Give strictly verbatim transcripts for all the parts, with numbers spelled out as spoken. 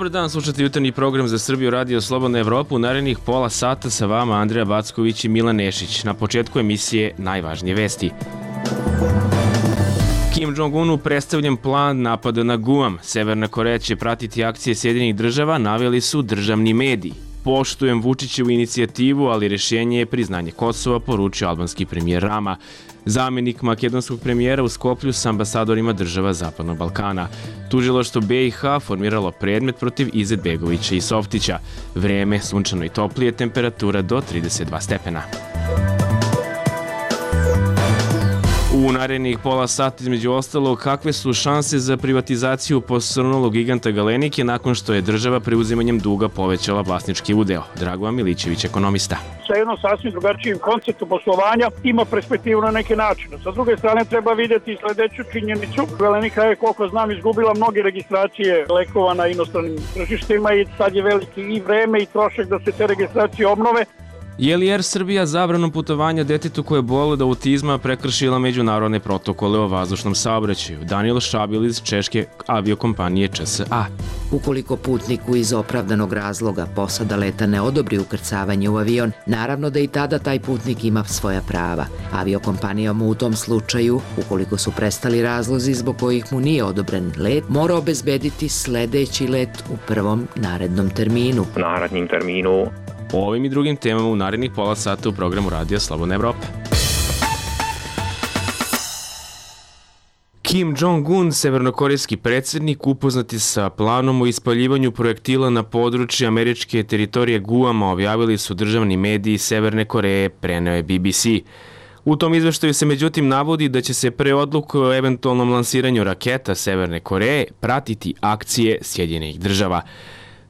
Dobar dan, slušate jutarnji program za Srbiju Radio Slobodna Evropa. U narednih pola sata sa vama Andreja Backović i Milan Nešić. Na početku emisije najvažnije vesti. Kim Jong-unu predstavljen plan napada na Guam. Severna Koreja će pratiti akcije Sjedinjenih država, naveli su državni mediji. Poštujem Vučićevu inicijativu, ali rješenje je priznanje Kosova, poručio albanski premijer Rama. Zamenik makedonskog premijera u Skoplju s ambasadorima država Zapadnog Balkana. Tužilaštvo B i H formiralo predmet protiv Izetbegovića i Softića. Vreme sunčano i toplije, temperatura do trideset dva stepena. U narednih pola sata između ostalog, kakve su šanse za privatizaciju posrnulog giganta Galenike nakon što je država preuzimanjem duga povećala vlasnički udeo? Dragovan Milićević, ekonomista. Sa jednom sasvim drugačijim konceptom poslovanja ima perspektivu na neke načine. Sa druge strane treba vidjeti sledeću činjenicu. Galenika je, koliko znam, izgubila mnoge registracije lekova na inostranim tržištima i sad je veliki i vreme i trošak da se te registracije obnove. Je li Air Srbija zabranom putovanja detetu koje boli od autizma prekršila međunarodne protokole o vazdušnom saobraćaju? Daniel Šabil iz češke aviokompanije Č S A. Ukoliko putniku iz opravdanog razloga posada leta ne odobri ukrcavanje u avion, naravno da i tada taj putnik ima svoja prava. Aviokompanija mu u tom slučaju, ukoliko su prestali razlozi zbog kojih mu nije odobren let, mora obezbediti sledeći let u prvom narednom terminu. Narednim terminu. O ovim i drugim temama u narednih pola sata u programu Radija Slobodna Evropa. Kim Jong-un, severnokorejski predsjednik, upoznati sa planom o ispaljivanju projektila na području američke teritorije Guama, objavili su državni mediji Severne Koreje, preneo je B B C. U tom izveštaju se međutim navodi da će se pre odluke o eventualnom lansiranju raketa Severne Koreje pratiti akcije Sjedinjenih država.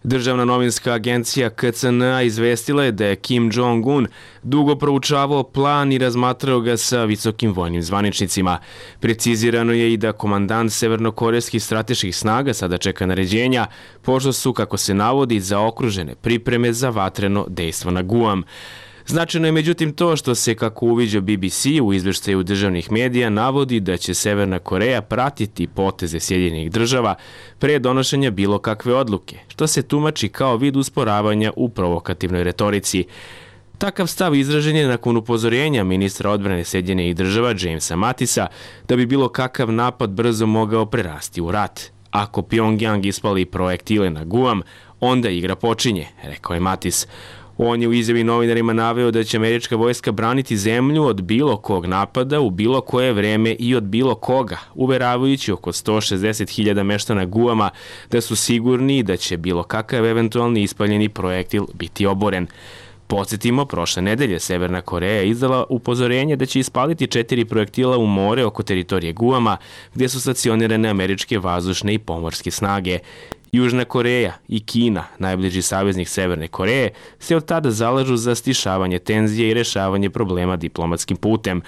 Državna novinska agencija K C N A izvestila je da je Kim Jong-un dugo proučavao plan i razmatrao ga sa visokim vojnim zvaničnicima. Precizirano je i da komandant severnokorejskih strateških snaga sada čeka naređenja, pošto su, kako se navodi, zaokružene pripreme za vatreno dejstvo na Guam. Značajno je međutim to što se, kako uviđa B B C u izveštaju državnih medija, navodi da će Severna Koreja pratiti poteze Sjedinjenih država pre donošenja bilo kakve odluke, što se tumači kao vid usporavanja u provokativnoj retorici. Takav stav izražen je nakon upozorenja ministra odbrane Sjedinjenih država Jamesa Matisa da bi bilo kakav napad brzo mogao prerasti u rat. Ako Pyongyang ispali projektile na Guam, onda igra počinje, rekao je Matis. On je u izjavi novinarima naveo da će američka vojska braniti zemlju od bilo kog napada u bilo koje vreme i od bilo koga, uveravajući oko sto šezdeset hiljada meštana Guama da su sigurni da će bilo kakav eventualni ispaljeni projektil biti oboren. Podsjetimo, prošle nedelje Severna Koreja izdala upozorenje da će ispaliti četiri projektila u more oko teritorije Guama, gdje su stacionirane američke vazdušne i pomorske snage. Južna Koreja i Kina, najbliži saveznik Severne Koreje, se od tada zalažu za stišavanje tenzije i rešavanje problema diplomatskim putem.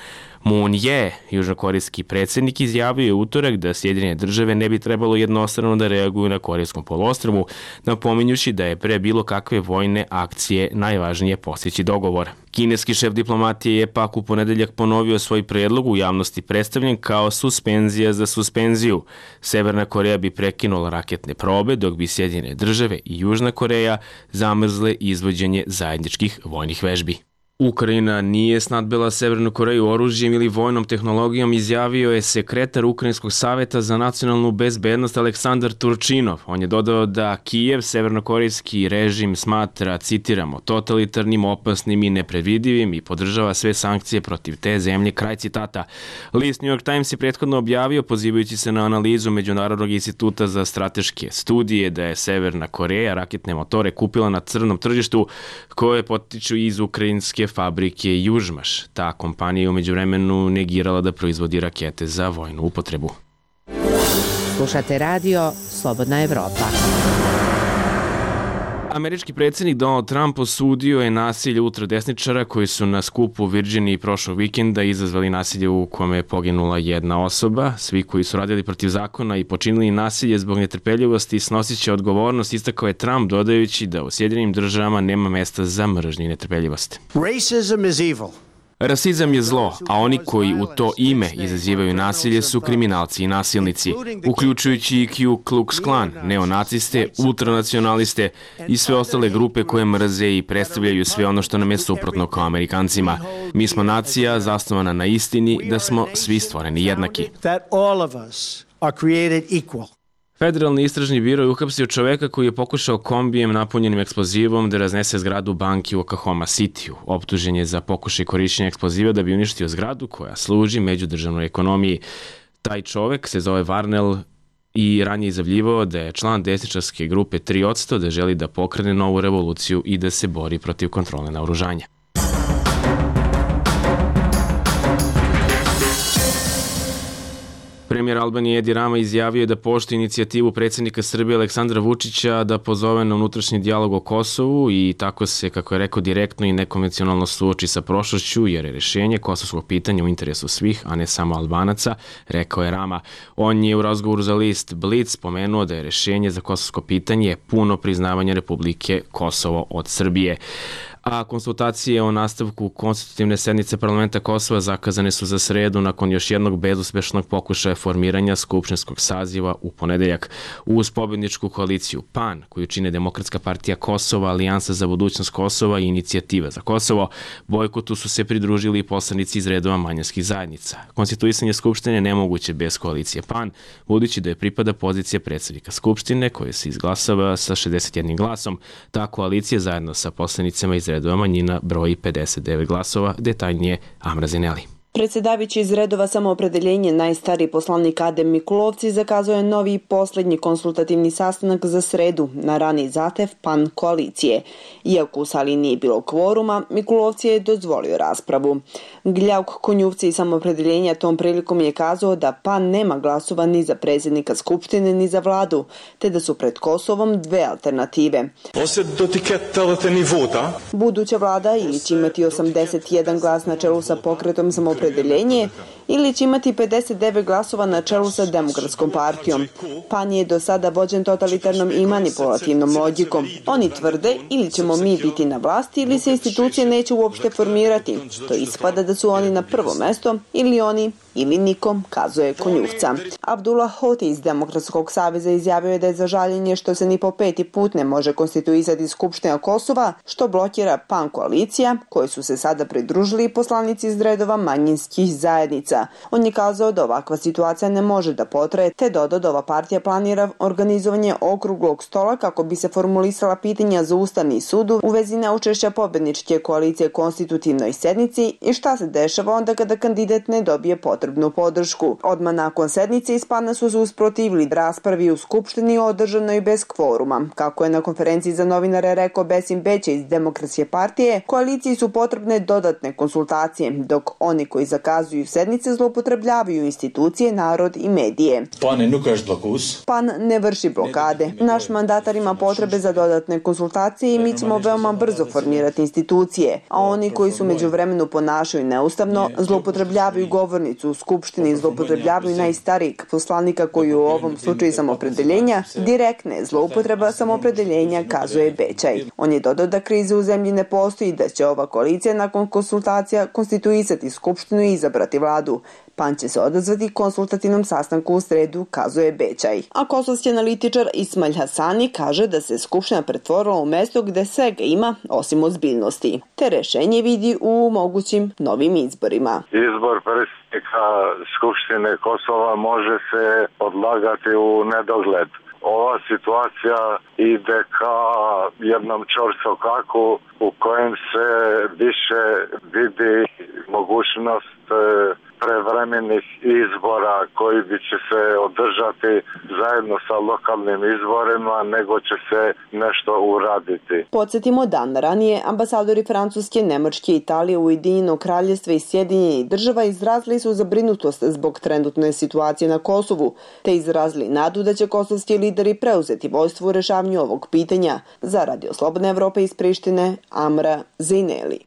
Moon Jae, južnokorejski predsjednik, izjavio je utorak da Sjedinjene države ne bi trebalo jednostrano da reaguju na Korejskom poluostrvu, napominjući da je pre bilo kakve vojne akcije najvažnije postići dogovor. Kineski šef diplomatije je pak u ponedeljak ponovio svoj predlog, u javnosti predstavljen kao suspenzija za suspenziju. Severna Koreja bi prekinula raketne probe, dok bi Sjedinjene države i Južna Koreja zamrzle izvođenje zajedničkih vojnih vežbi. Ukrajina nije snadbila Severnu Koreju oružjem ili vojnom tehnologijom, izjavio je sekretar Ukrajinskog saveta za nacionalnu bezbednost Aleksandar Turčinov. On je dodao da Kijev severnokorejski režim smatra, citiramo, totalitarnim, opasnim i nepredvidivim i podržava sve sankcije protiv te zemlje, kraj citata. List New York Times je prethodno objavio, pozivajući se na analizu Međunarodnog instituta za strateške studije, da je Severna Koreja raketne motore kupila na crnom tržištu koje potiču iz ukrajinske fabrike Južmaš. Ta kompanija je u međuvremenu negirala da proizvodi rakete za vojnu upotrebu. Slušate radio Slobodna Evropa. Američki predsjednik Donald Trump osudio je nasilje ultradesničara koji su na skupu u Virginiji prošlog vikenda izazvali nasilje u kome je poginula jedna osoba. Svi koji su radili protiv zakona i počinili nasilje zbog netrpeljivosti snosit će odgovornost, istakao je Trump, dodajući da u Sjedinjenim državama nema mesta za mržnju i netrpeljivost. Racism is evil. Rasizam je zlo, a oni koji u to ime izazivaju nasilje su kriminalci i nasilnici, uključujući i Ku Klux Klan, neonaciste, ultranacionaliste i sve ostale grupe koje mrze i predstavljaju sve ono što nam je suprotno kao Amerikancima. Mi smo nacija zasnovana na istini da smo svi stvoreni jednaki. Federalni istražni biro je uhapsio čoveka koji je pokušao kombijem napunjenim eksplozivom da raznese zgradu banke u Oklahoma Cityu. Optužen je za pokušaj korišćenja eksploziva da bi uništio zgradu koja služi međudržavnoj ekonomiji. Taj čovek se zove Varnell i ranije izjavljivao da je član desničarske grupe tri posto, da želi da pokrene novu revoluciju i da se bori protiv kontrole naoružanja. Premijer Albanije Edi Rama izjavio je da poštuje inicijativu predsjednika Srbije Aleksandra Vučića da pozove na unutrašnji dijalog o Kosovu i tako se, kako je rekao, direktno i nekonvencionalno suoči sa prošlošću, jer je rješenje kosovskog pitanja u interesu svih, a ne samo Albanaca, rekao je Rama. On je u razgovoru za list Blic spomenuo da je rješenje za kosovsko pitanje puno priznavanje Republike Kosovo od Srbije. A konsultacije o nastavku konstitutivne sednice parlamenta Kosova zakazane su za sredu nakon još jednog bezuspešnog pokušaja formiranja skupštinskog saziva u ponedeljak. Uz pobjedničku koaliciju PAN, koju čine Demokratska partija Kosova, Alijansa za budućnost Kosova i Inicijativa za Kosovo, bojkotu su se pridružili i poslanici iz redova manjinskih zajednica. Konstituisanje skupštine nemoguće bez koalicije PAN, budući da je pripada pozicija predsjednika skupštine, koja se izglasava sa šezdeset jednim glasom. Ta koalicija zajedno sa poslanicima iz redova manjina broji pedeset devet glasova, detaljnije Amra Zineli. Predsjedavajući iz redova Samoopredeljenje, najstariji poslanik Adem Mikulovci zakazao je novi i posljednji konsultativni sastanak za sredu na rani zahtev PAN koalicije. Iako u sali nije bilo kvoruma, Mikulovci je dozvolio raspravu. Gljauk Konjuvci iz Samoopredeljenja tom prilikom je kazao da PAN nema glasova ni za predsjednika Skupštine ni za vladu, te da su pred Kosovom dve alternative. Buduća vlada ili će imati osamdeset jedan glas na čelu sa pokretom Samoopredeljenja ili će imati pedeset devet glasova na čelu sa Demokratskom partijom. PAN je do sada vođen totalitarnom i manipulativnom logikom. Oni tvrde ili ćemo mi biti na vlasti ili se institucije neće uopšte formirati. To ispada da su oni na prvo mesto ili oni ili nikom, kazuje Konjuvca. Abdullah Hoti iz Demokratskog saveza izjavio je da je za žaljenje što se ni po peti put ne može konstituisati Skupština Kosova, što blokira PAN koalicija, koji su se sada pridružili poslanici iz redova manjinskih zajednica. On je kazao da ovakva situacija ne može da potraje, te dodao da ova partija planira organizovanje okruglog stola kako bi se formulisala pitanja za Ustavni sud u vezi neučešća pobedničke koalicije konstitutivnoj sednici i šta se dešava onda kada kandidat ne dobije potrebnu podršku. Odmah nakon sednice iz PAN-a su se usprotivili raspravi u Skupštini održanoj bez kvoruma. Kako je na konferenciji za novinare rekao Besim Beće iz Demokratske partije, koaliciji su potrebne dodatne konsultacije, dok oni koji zakazuju sednice zloupotrebljavaju institucije, narod i medije. PAN ne vrši blokade. Naš mandatar ima potrebe za dodatne konsultacije i mi ćemo veoma brzo formirati institucije, a oni koji su međuvremenu ponašaju neustavno, zloupotrebljavaju govornicu u Skupštini, zloupotrebljavaju najstarijeg poslanika koji u ovom slučaju Samoopredeljenja, direktne zloupotreba Samoopredeljenja, kazuje Bećaj. On je dodao da krize u zemlji ne postoji i da će ova koalicija nakon konsultacija konstituisati Skupštinu i izabrati vladu. PAN će se odazvati konsultativnom sastanku u sredu, kazuje Bećaj. A kosovski analitičar Ismail Hasani kaže da se Skupština pretvorila u mesto gde svega ima osim ozbiljnosti. Te rešenje vidi u mogućim novim izborima. Izbor predsjednika Skupštine Kosova može se odlagati u nedogled. Ova situacija ide ka jednom čorsokaku u kojem se više vidi mogućnost prevremenih izbora koji bi će se održati zajedno sa lokalnim izborima, nego će se nešto uraditi. Podsjetimo, dan ranije ambasadori Francuske, Nemačke, Italije, Ujedinjenog Kraljevstva i Sjedinjenih država izrazili su zabrinutost zbog trenutne situacije na Kosovu, te izrazili nadu da će kosovski lideri preuzeti vodstvo u rešavanju ovog pitanja. Za Radio Slobodne Evrope iz Prištine, Amra Zineli.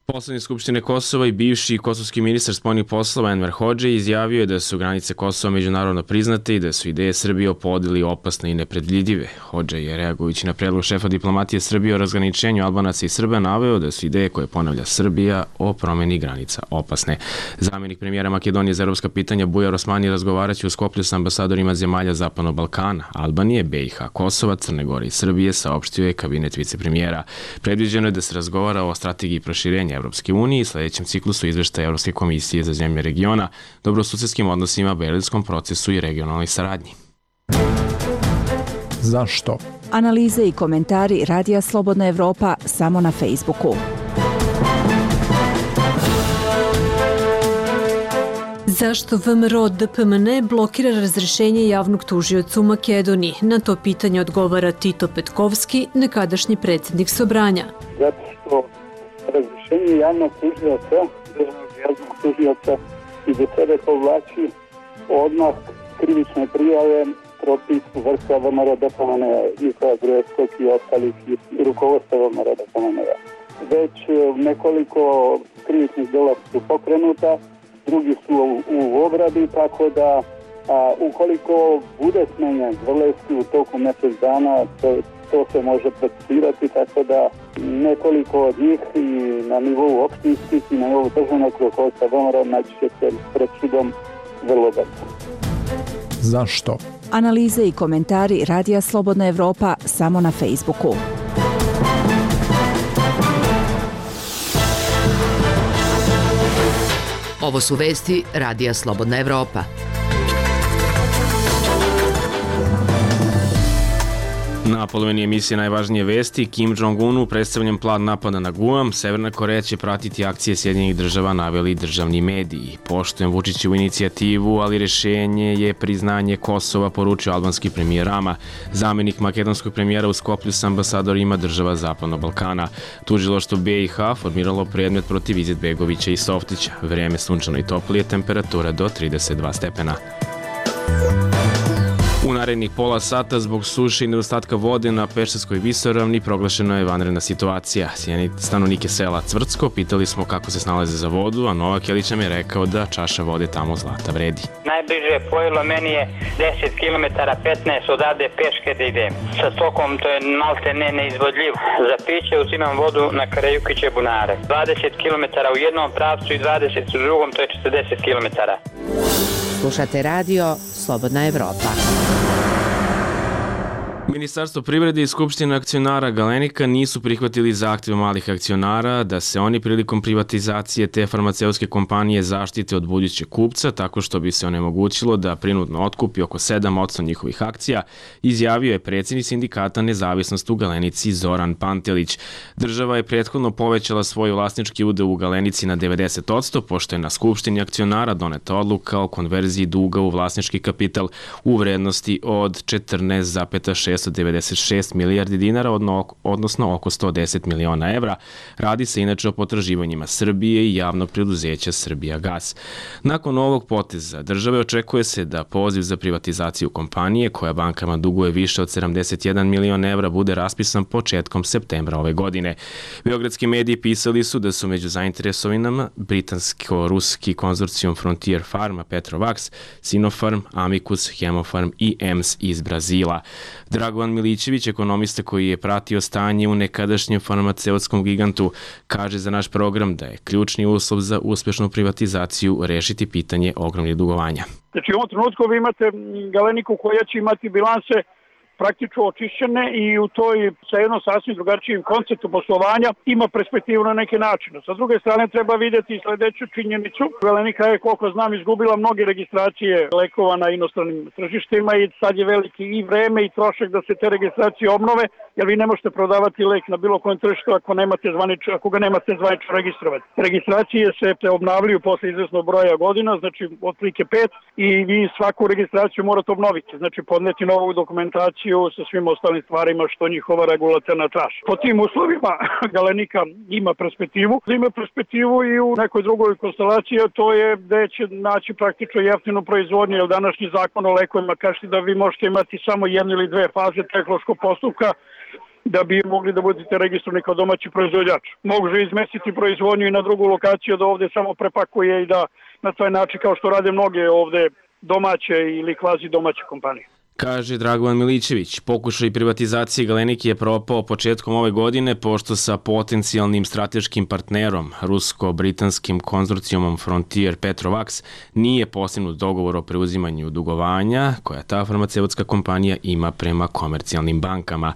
Poslanik Skupštine Kosova i bivši kosovski ministar spoljnih poslova Enver Hodži izjavio je da su granice Kosova međunarodno priznate i da su ideje Srbije o podeli opasne i nepredvidljive. Hodži je, reagujući na predlog šefa diplomatije Srbije o razgraničenju Albanaca i Srba, naveo da su ideje koje ponavlja Srbija o promeni granica opasne. Zamenik premijera Makedonije za evropska pitanja Bujar Osmani razgovaraće u Skoplju sa ambasadorima zemalja Zapadnog Balkana, Albanije, B i H, Kosova, Crne Gore i Srbije, saopštio je kabinet vicepremijera. Predviđeno je da se razgovara o strategiji proširenja Evropske unije i sledećem ciklusu izveštaja Evropske komisije za zemlje regiona, dobrosusedskim odnosima, berlinskom procesu i regionalnoj saradnji. Zašto? Analize i komentari Radija Slobodna Evropa samo na Facebooku. Zašto V M R O D P M N blokira razrešenje javnog tužioca u Makedoniji? Na to pitanje odgovara Tito Petkovski, nekadašnji predsjednik Sobranja. Zato što razrešenje javnog tužioca, državnog javnog tužioca i do sebe povlači odmah krivične prijave protiv vrha V M R O D P M N-a, Nikola Gruevskog i ostalih rukovodstva V M R O D P M N-a. Već nekoliko krivičnih dela su pokrenuta, drugi su u, u obradi, tako da a, ukoliko bude smenjen Zvrlevski u toku mjesec dana, to, to se može procesirati, tako da nekoliko od njih i na nivou opštinskih i na nivou državnog rukovodstva V M R O naći će se pred sudom vrlo brzo. Zašto? Analize i komentari Radija Slobodna Evropa samo na Facebooku. Ovo su vesti Radija Slobodna Evropa. Na polovini emisije najvažnije vesti, Kim Jong-unu predstavljen plan napada na Guam, Severna Koreja će pratiti akcije Sjedinjenih država, naveli državni mediji. Poštujem Vučićevu inicijativu, ali rešenje je priznanje Kosova, poručio albanski premijer Rama. Zamenik makedonskog premijera u Skoplju sa ambasadorima država Zapadnog Balkana. Tužilaštvo B i H formiralo predmet protiv Izetbegovića i Softića. Vreme sunčano i toplije, temperatura do trideset dva stepena. U narednih pola sata zbog suše i nedostatka vode na Pešterskoj visoravni proglašena je vanredna situacija. Stanovnike sela Cvrtsko pitali smo kako se snalaze za vodu, a Novak Jelić nam je rekao da čaša vode tamo zlata vredi. Najbliže pojelo meni je deset kilometara, petnaest odavde peške da idem. Sa stokom to je malte ne neizvodljivo. Za piće uzimam vodu na Karajukiće bunare. dvadeset kilometara u jednom pravcu i dvadeset u drugom, to je četrdeset kilometara. Slušate radio Slobodna Evropa. Ministarstvo privrede i Skupština akcionara Galenika nisu prihvatili zahtjeve malih akcionara da se oni prilikom privatizacije te farmaceutske kompanije zaštite od budućeg kupca tako što bi se onemogućilo da prinudno otkupi oko sedam posto njihovih akcija, izjavio je predsjednik sindikata Nezavisnost u Galenici Zoran Pantelić. Država je prethodno povećala svoj vlasnički udeo u Galenici na devedeset posto, pošto je na Skupštini akcionara doneta odluka o konverziji duga u vlasnički kapital u vrednosti od četrnaest zarez šest devedeset šest milijardi dinara, odnosno oko sto deset miliona evra. Radi se inače o potraživanjima Srbije i javnog preduzeća Srbijagas. Nakon ovog poteza države očekuje se da poziv za privatizaciju kompanije, koja bankama duguje više od sedamdeset jedan milion evra, bude raspisan početkom septembra ove godine. Beogradski mediji pisali su da su među zainteresovanima britansko-ruski konzorcijum Frontier Pharma, Petrovax, Sinopharm, Amicus, Hemofarm i E M S iz Brazila. Dragovan Milićević, ekonomista koji je pratio stanje u nekadašnjem farmaceutskom gigantu, kaže za naš program da je ključni uslov za uspešnu privatizaciju rešiti pitanje ogromnih dugovanja. Znači u ovom trenutku vi imate Galeniku koja će imati bilanse praktično očišćene i u toj sa jednom sasvim drugačijim konceptom poslovanja ima perspektivu na neke načine. Sa druge strane treba vidjeti sledeću činjenicu. Galenika je, koliko znam, izgubila mnoge registracije lekova na inostranim tržištima i sad je veliki i vreme i trošak da se te registracije obnove, jer vi ne možete prodavati lek na bilo kojem tržištu ako nemate zvanično, ako ga nemate zvanično registrovati. Registracije se obnavljaju posle izvesnog broja godina, znači otprilike pet, i vi svaku registraciju morate obnoviti, znači podneti novu dokumentaciju sa svim ostalim stvarima što njihova regulatorna traži. Po tim uslovima Galenika ima perspektivu, ima perspektivu i u nekoj drugoj konstelaciji, a to je da će naći praktično jeftinu proizvodnju, jer današnji zakon o lekovima kaže da vi možete imati samo jednu ili dve faze tehnološkog postupka da bi mogli da budete registrovani kao domaći proizvođač. Može izmestiti proizvodnju i na drugu lokaciju da ovde samo prepakuje i da na taj način kao što rade mnoge ovde domaće ili kvazi domaće kompanije. Kaže Dragovan Milićević, pokušaj privatizacije Galenike je propao početkom ove godine pošto sa potencijalnim strateškim partnerom, rusko-britanskim konzorcijumom Frontier Petrovac, nije postignut dogovor o preuzimanju dugovanja koja ta farmaceutska kompanija ima prema komercijalnim bankama.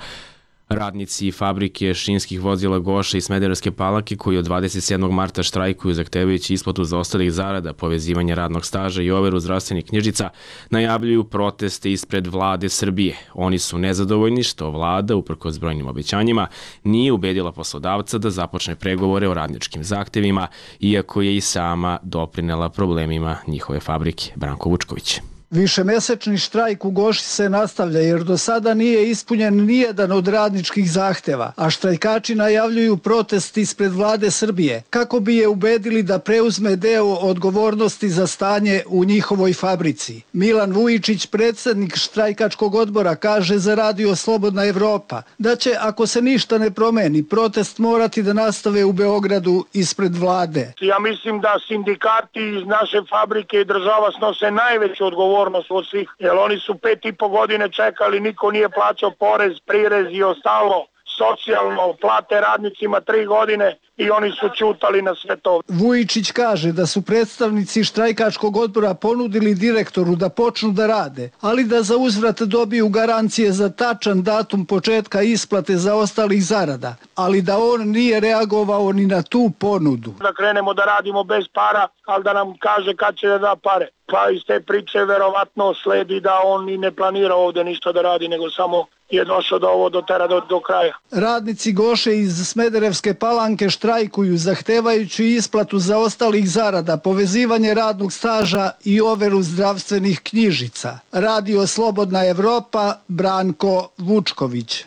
Radnici fabrike šinskih vozila Goša i Smederevske Palanke koji od dvadeset sedmog marta štrajkuju zahtevajući isplatu zaostalih zarada, povezivanje radnog staža i overu zdravstvenih knjižica, najavljuju proteste ispred vlade Srbije. Oni su nezadovoljni što vlada, uprkos brojnim obećanjima, nije ubedila poslodavca da započne pregovore o radničkim zahtevima, iako je i sama doprinela problemima njihove fabrike. Branko Vučković. Višemesečni štrajk u Goši se nastavlja jer do sada nije ispunjen nijedan od radničkih zahteva, a štrajkači najavljuju protest ispred vlade Srbije kako bi je ubedili da preuzme deo odgovornosti za stanje u njihovoj fabrici. Milan Vujičić, predsednik štrajkačkog odbora, kaže za Radio Slobodna Evropa da će, ako se ništa ne promeni, protest morati da nastave u Beogradu ispred vlade. Ja mislim da sindikati iz naše fabrike i država snose najveću odgovornost od svih, jer oni su pet i po godine čekali, niko nije plaćao porez, prirez i ostalo, socijalno, plate radnicima tri godine i oni su ćutali na sve to. Vujičić kaže da su predstavnici štrajkačkog odbora ponudili direktoru da počnu da rade, ali da za uzvrat dobiju garancije za tačan datum početka isplate zaostalih zarada, ali da on nije reagovao ni na tu ponudu. Da krenemo da radimo bez para, ali da nam kaže kad će da da pare. Pa iz te priče verovatno sledi da on i ne planira ovde ništa da radi, nego samo je došao da ovo dotera do, do kraja. Radnici Goše iz Smederevske Palanke štrajkuju zahtevajući isplatu zaostalih zarada, povezivanje radnog staža i overu zdravstvenih knjižica. Radio Slobodna Evropa, Branko Vučković.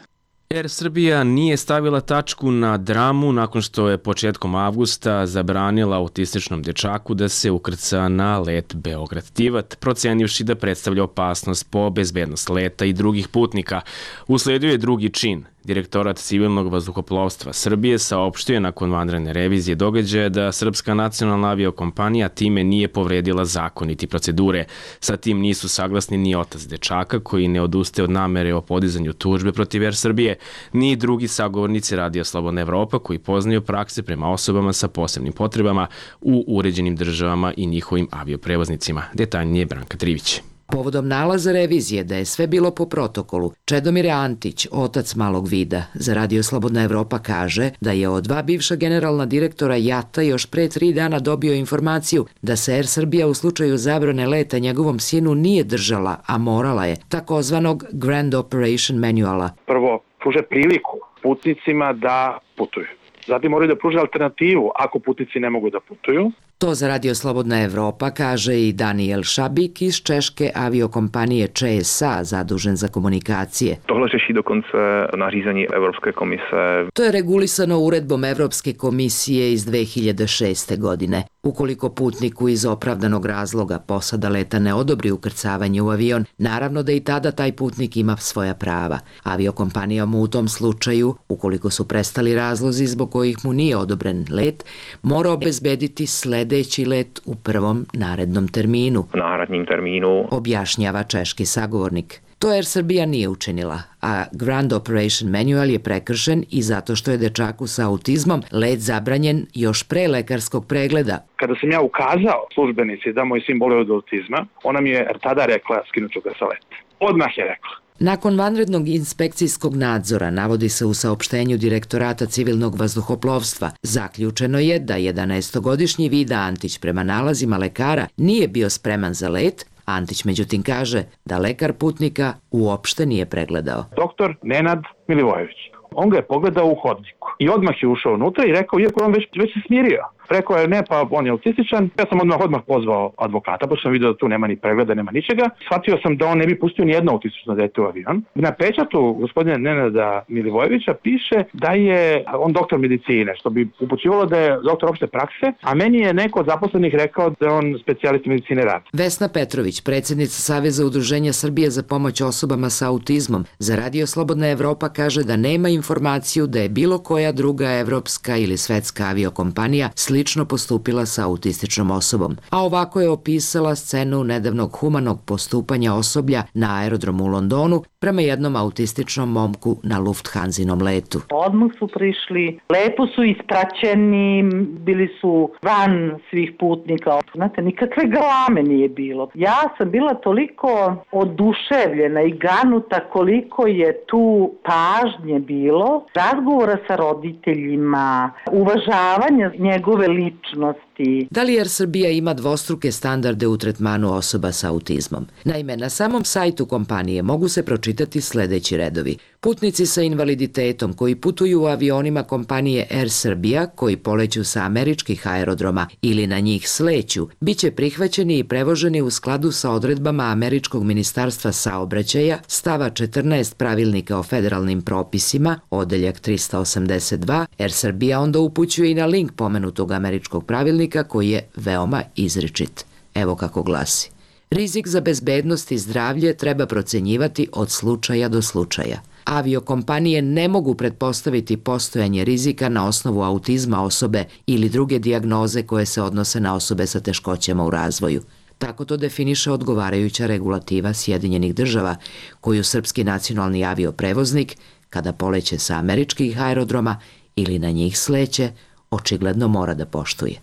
Er Srbija nije stavila tačku na dramu nakon što je početkom avgusta zabranila autističnom dečaku da se ukrca na let Beograd-Tivat, procenivši da predstavlja opasnost po bezbednost leta i drugih putnika. Usledio je drugi čin. Direktorat civilnog vazduhoplovstva Srbije saopštio je nakon vanredne revizije događaja da Srpska nacionalna aviokompanija time nije povredila zakon niti procedure. Sa tim nisu saglasni ni otac dečaka koji ne odustaje od namere o podizanju tužbe protiv Er Srbije, ni drugi sagovornici Radio Slobodna Evropa koji poznaju prakse prema osobama sa posebnim potrebama u uređenim državama i njihovim avioprevoznicima. Detaljnije Branka Trivić. Povodom nalaza revizije da je sve bilo po protokolu, Čedomir Antić, otac malog vida, za Radio Slobodna Evropa kaže da je od dva bivša generalna direktora JAT-a još pre tri dana dobio informaciju da se Er Srbija u slučaju zabrane leta njegovom sinu nije držala, a morala je, takozvanog Grand Operation Manuala. Prvo, pruže priliku putnicima da putuju. Zatim moraju da pruže alternativu ako putnici ne mogu da putuju. To za Radio Slobodna Evropa kaže i Daniel Šabik iz češke aviokompanije Č S A, zadužen za komunikacije. Tohle řeší dokonce nařízení Evropske komise. To je regulisano uredbom Evropske komisije iz dve hiljade šeste. godine. Ukoliko putniku iz opravdanog razloga posada leta ne odobri ukrcavanje u avion, naravno da i tada taj putnik ima svoja prava. Aviokompanija mu u tom slučaju, ukoliko su prestali razlozi zbog kojih mu nije odobren let, mora obezbediti sledeći let u prvom narednom terminu. Narednim terminu. Objašnjava češki sagovornik. To Er Srbija nije učinila, a Grand Operation Manual je prekršen i zato što je dečaku sa autizmom let zabranjen još pre lekarskog pregleda. Kada sam ja ukazao službenici da moj sin boluje od autizma, ona mi je tada rekla skinuću ga sa leta. Odmah je rekla. Nakon vanrednog inspekcijskog nadzora, navodi se u saopštenju Direktorata civilnog vazduhoplovstva, zaključeno je da jedanaestogodišnji Vida Antić prema nalazima lekara nije bio spreman za let. Antić međutim kaže da lekar putnika uopšte nije pregledao. Doktor Nenad Milivojević. On ga je pogledao u hodniku i odmah je ušao unutra i rekao, iako on već, već se smirio, Rekao je ne, pa on je autističan. Ja sam odmah odmah pozvao advokata, pošto sam vidio da tu nema ni pregleda, nema ničega. Shvatio sam da on ne bi pustio ni jedno autistično dete u avion. Na pečatu gospodina Nenada Milivojevića piše da je on doktor medicine, što bi upućivalo da je doktor opšte prakse, a meni je neko od zaposlenih rekao da je on specijalist medicine rada. Vesna Petrović, predsjednica Saveza udruženja Srbije za pomoć osobama sa autizmom, za Radio Slobodna Evropa kaže da nema informaciju da je bilo koja druga evropska ili svetska aviokompanija slično postupila sa autističnom osobom. A ovako je opisala scenu nedavnog humanog postupanja osoblja na aerodromu u Londonu prema jednom autističnom momku na Lufthansinom letu. Odmah su prišli, lepo su ispraćeni, bili su van svih putnika. Znate, nikakve galame nije bilo. Ja sam bila toliko oduševljena i ganuta koliko je tu pažnje bilo, razgovora sa roditeljima, uvažavanja njegove ličnosti. Da li Air Srbija ima dvostruke standarde u tretmanu osoba sa autizmom? Naime, na samom sajtu kompanije mogu se pročitati sledeći redovi. Putnici sa invaliditetom koji putuju u avionima kompanije Air Srbija, koji poleću sa američkih aerodroma ili na njih sleću, biće prihvaćeni i prevoženi u skladu sa odredbama Američkog ministarstva saobraćaja, stava četrnaest pravilnika o federalnim propisima, odeljak trista osamdeset dva. Air Srbija onda upućuje i na link pomenutog američkog pravilnika koji je veoma izričit. Evo kako glasi. Rizik za bezbednost i zdravlje treba procenjivati od slučaja do slučaja. Aviokompanije ne mogu pretpostaviti postojanje rizika na osnovu autizma osobe ili druge dijagnoze koje se odnose na osobe sa teškoćama u razvoju. Tako to definiše odgovarajuća regulativa Sjedinjenih država, koju srpski nacionalni avioprevoznik, kada poleće sa američkih aerodroma ili na njih sleće, očigledno mora da poštuje.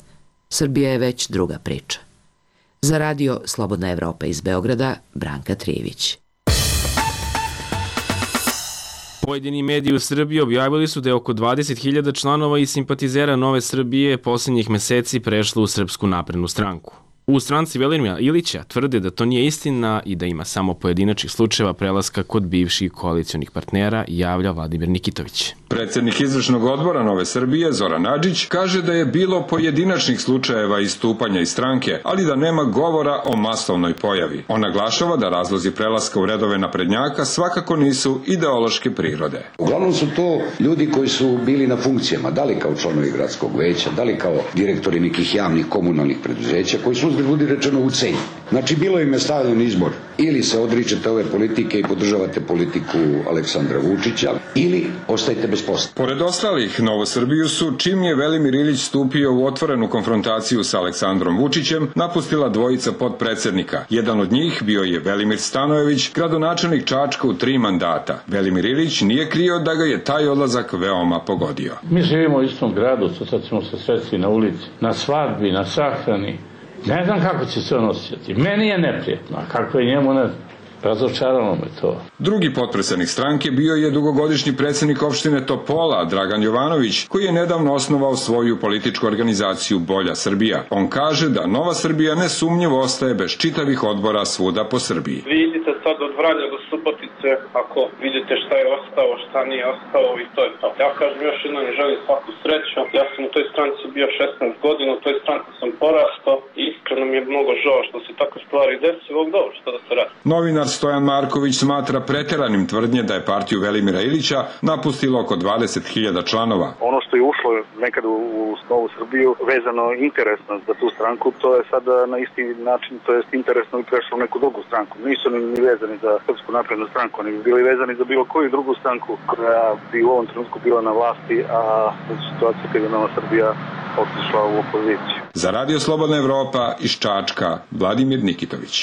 Srbija je već druga priča. Za Radio Slobodna Evropa iz Beograda, Branka Trijević. Pojedini mediji u Srbiji objavili su da je oko dvadeset hiljada članova i simpatizera Nove Srbije posljednjih meseci prešlo u Srpsku naprednu stranku. U stranci Velimira Ilića tvrde da to nije istina i da ima samo pojedinačnih slučajeva prelaska kod bivših koalicionih partnera, javlja Vladimir Nikitović. Predsjednik izvršnog odbora Nove Srbije, Zoran Adžić, kaže da je bilo pojedinačnih slučajeva istupanja iz stranke, ali da nema govora o masovnoj pojavi. On naglašava da razlozi prelaska u redove naprednjaka svakako nisu ideološke prirode. Uglavnom su to ljudi koji su bili na funkcijama, da li kao članovi gradskog veća, da li kao direktori nekih javnih komunalnih preduzeća, koji su ljudi rečeno u cenju. Znači, bilo im je stavljen izbor. Ili se odričete ove politike i podržavate politiku Aleksandra Vučića, ili ostajete bez posla. Pored ostalih, Novu Srbiju su, čim je Velimir Ilić stupio u otvorenu konfrontaciju sa Aleksandrom Vučićem, napustila dvojica podpredsednika. Jedan od njih bio je Velimir Stanojević, gradonačelnik Čačka u tri mandata. Velimir Ilić nije krio da ga je taj odlazak veoma pogodio. Mi živimo u istom gradu, sad ćemo se sresti na ulici, na svadbi, na sahrani. Ne znam kako će se on osjetiti. Meni je neprijetno, a kako je njemu ne... Razočaralo me to. Drugi potpredsednik stranke bio je dugogodišnji predsjednik opštine Topola, Dragan Jovanović, koji je nedavno osnovao svoju političku organizaciju Bolja Srbija. On kaže da Nova Srbija nesumnjivo ostaje bez čitavih odbora svuda po Srbiji. Vi idite sad od Vranja do Subotice, ako vidite šta je ostao, šta nije ostao i to je to. Ja kažem još jednom i želim svaku sreću. Ja sam u toj stranci bio šesnaest godina, u toj stranci sam porastao i iskreno mi je mnogo žao što se takve stvari desilo, dobro, što da se radi. Novinar Stojan Marković smatra preteranim tvrdnje da je partiju Velimira Ilića napustilo oko dvadeset hiljada članova. Ono što je ušlo nekad u Novu Srbiju vezano interesno za tu stranku, to je sada na isti način, to je interesno i prešlo u neku drugu stranku. Nisu ni vezani za Srpsku naprednu stranku, oni bi bili vezani za bilo koju drugu stranku koja bi u ovom trenutku bila na vlasti, a u situaciji kada je Nova Srbija otišla u opoziciju. Za Radio Slobodna Evropa iz Čačka, Vladimir Nikitović.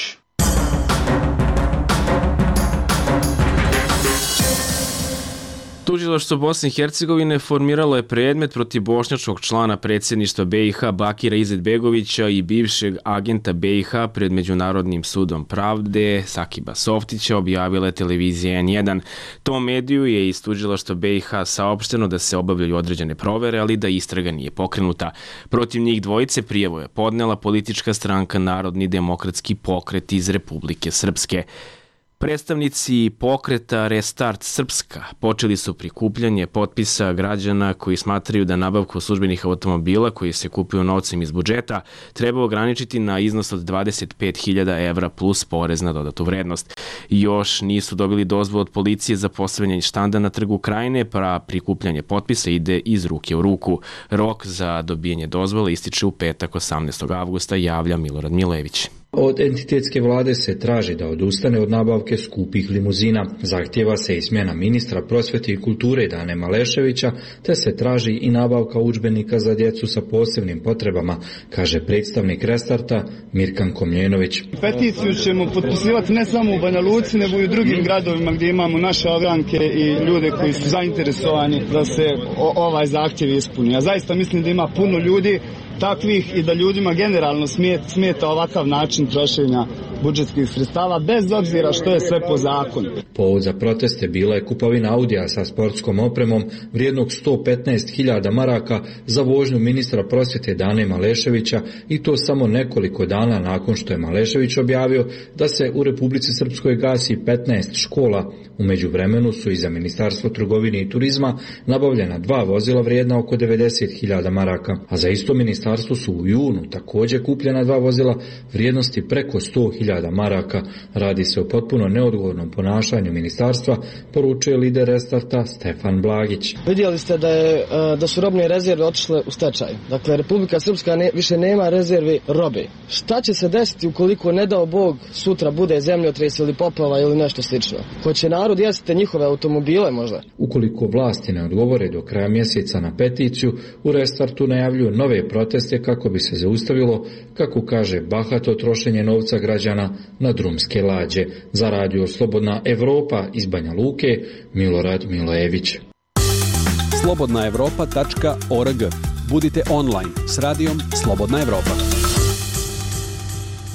Tužilaštvo Bosne i Hercegovine formiralo je predmet protiv bošnjačkog člana predsjedništva be i ha Bakira Izetbegovića i bivšeg agenta be i ha pred Međunarodnim sudom pravde Sakiba Softića, objavila je televizija en jedan. Tom mediju je iz tužilaštva be i ha saopšteno da se obavljaju određene provere, ali da istraga nije pokrenuta. Protiv njih dvojice prijavu je podnela politička stranka Narodni demokratski pokret iz Republike Srpske. Predstavnici pokreta Restart Srpska počeli su prikupljanje potpisa građana koji smatraju da nabavku službenih automobila koji se kupuju novcem iz budžeta treba ograničiti na iznos od dvadeset pet hiljada evra plus porez na dodatu vrednost. Još nisu dobili dozvolu od policije za postavljanje štanda na Trgu Krajine, pa prikupljanje potpisa ide iz ruke u ruku. Rok za dobijanje dozvole ističe u petak osamnaestog avgusta, javlja Milorad Milević. Od entitetske vlade se traži da odustane od nabavke skupih limuzina. Zahtjeva se i smjena ministra prosvjete i kulture Dane Maleševića, te se traži i nabavka udžbenika za djecu sa posebnim potrebama, kaže predstavnik Restarta Mirkan Komljenović. Peticiju ćemo potpisivati ne samo u Banja Luci, nego i u drugim gradovima gdje imamo naše ogranke i ljude koji su zainteresovani da se ovaj zahtjev ispuni. Ja zaista mislim da ima puno ljudi takvih i da ljudima generalno smeta ovakav način trošenja budžetskih sredstava, bez obzira što je sve po zakonu. Povod za proteste bila je kupovina Audija sa sportskom opremom vrijednog sto petnaest hiljada maraka za vožnju ministra prosvjete Dane Maleševića, i to samo nekoliko dana nakon što je Malešević objavio da se u Republici Srpskoj gasi petnaest škola. U međuvremenu su i za Ministarstvo trgovine i turizma nabavljena dva vozila vrijedna oko devedeset hiljada maraka, a za isto ministarstvo su u junu također kupljena dva vozila vrijednosti preko sto hiljada maraka. Radi se o potpuno neodgovornom ponašanju ministarstva, poručuje lider Restarta Stefan Blagić. Vidjeli ste da, je, da su robne rezerve otišle u stečaj. Dakle, Republika Srpska ne, više nema rezervi robe. Šta će se desiti ukoliko, ne dao Bog, sutra bude zemljotres ili poplava ili nešto slično? Hoće narod jeste njihove automobile možda? Ukoliko vlasti ne odgovore do kraja mjeseca na peticiju, u Restartu najavljuju nove proteste kako bi se zaustavilo, kako kaže, bahato trošenje novca građana na drumske lađe. Za radio Slobodna Evropa iz Banja Luke, Milorad Milojević. slobodna evropa tačka org. Budite online s radijom Slobodna Evropa.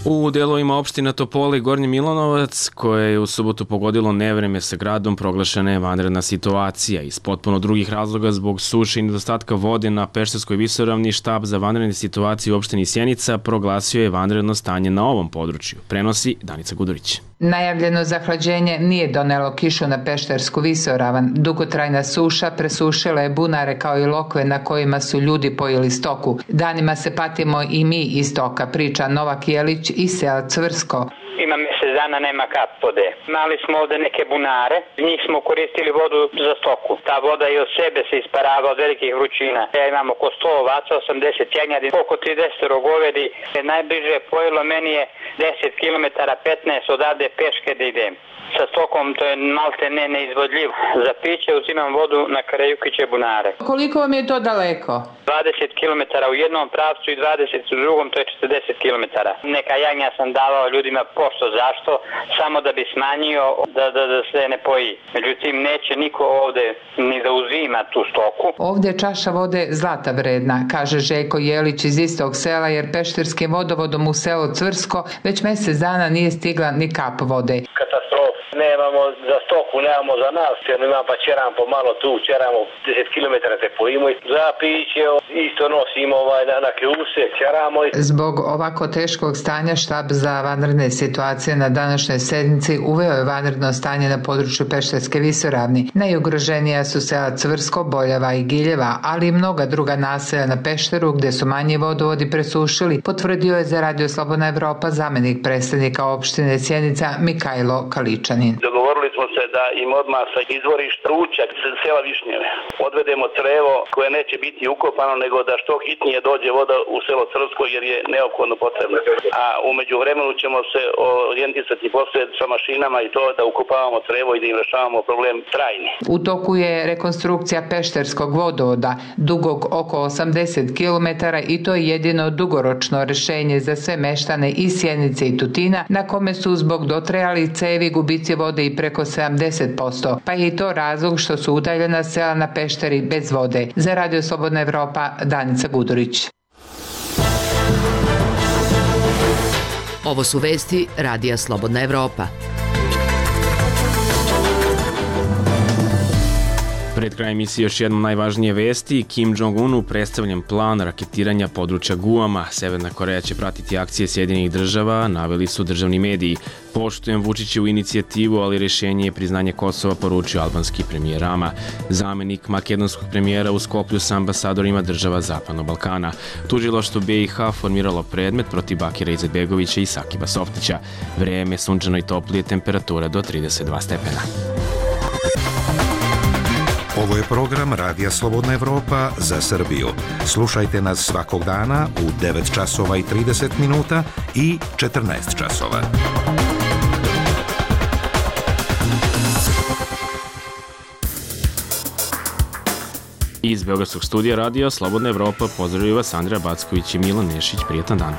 U delovima opština Topole i Gornji Milanovac, koje je u subotu pogodilo nevreme sa gradom, proglašena je vanredna situacija. Iz potpuno drugih razloga, zbog suše i nedostatka vode na Pešterskoj visoravni, štab za vanredne situacije u opštini Sjenica proglasio je vanredno stanje na ovom području. Prenosi Danica Gudurić. Najavljeno zahlađenje nije donelo kišu na Peštersku visoravan. Dugotrajna suša presušila je bunare kao i lokve na kojima su ljudi pojeli stoku. Danima se patimo i mi iz stoka, priča Novak Jelić iz sela Cvrsko. Ima mjesec dana, nema kap vode. Imali smo ovde neke bunare, njih smo koristili vodu za stoku. Ta voda i od sebe se isparava od velikih vrućina. Ja imam oko sto ovaca, osamdeset jagnjadi, oko trideset govedi. Najbliže pojelo meni je deset kilometara, petnaest odavde peške da idem. Sa stokom to je malte ne neizvodljivo. Za piće uzimam vodu na Karajukiće bunare. Koliko vam je to daleko? dvadeset kilometara u jednom pravcu i dvadeset u drugom, to je četrdeset kilometara. Neka jagnja sam davao ljudima pošto, zašto? Samo da bi smanjio da, da, da se ne poji. Međutim, neće niko ovde ni da uzima tu stoku. Ovde je čaša vode zlata vredna, kaže Željko Jelić iz istog sela, jer pešterskim vodovodom u selo Cvrsko već mjesec dana nije stigla ni kap vode. Katastrofa. Nemamo za stoku, nemamo za nas, jer imam pa čeram po malo tu, čeramo deset kilometara te pojimo i za piće isto nosimo ovaj, na, na kljuse, čeramo. Zbog ovako teškog stanja štab za vanredne situacije na današnjoj sednici uveo je vanredno stanje na području Pešterske visoravni. Najugroženija su sela Cvrsko, Boljeva i Giljeva, ali i mnoga druga naselja na Pešteru gdje su manji vodovodi presušili, potvrdio je za radio Slobodna Evropa zamenik predstavnika opštine Sjenica Mikajlo Kaličanin. Dogovorili smo se da im odmah sa izvorišta ručak sela Višnjeve odvedemo crevo koje neće biti ukopano, nego da što hitnije dođe voda u selo Crvsko jer je neophodno potrebno. A umeđu vremenu ćemo se orijentisati poslije sa mašinama i to da ukopavamo crevo i da im rešavamo problem trajni. U toku je rekonstrukcija Pešterskog vodovoda dugog oko osamdeset kilometara i to je jedino dugoročno rješenje za sve meštane iz Sjenice i Tutina, na kome su zbog dotrajali cevi gubici vode i preko sedamdeset posto, pa je i to razlog što su udaljena sela na Pešteri bez vode. Za radio Slobodna Evropa, Danica Gudurić. Ovo su vesti radija Slobodna Evropa. Pred krajem emisije još jednom najvažnije vesti. Kim Jong-unu predstavljen plan raketiranja područja Guama. Severna Koreja će pratiti akcije Sjedinjenih država, naveli su državni mediji. Poštujem Vučićevu inicijativu, ali rješenje je priznanje Kosova, poručio albanski premijer Rama. Zamenik makedonskog premijera u Skoplju sa ambasadorima država Zapadnog Balkana. Tužilaštvo B i H formiralo predmet protiv Bakira Izetbegovića i Sakiba Softića. Vreme sunčano i toplije, temperatura do trideset dva stepena. Ovo je program Radija Slobodna Evropa za Srbiju. Slušajte nas svakog dana u devet časova i trideset minuta i četrnaest časova. Iz Beogradskog studija Radija Slobodna Evropa pozdravljaju vas Andreja Backović i Milan Nešić. Prijetan dan.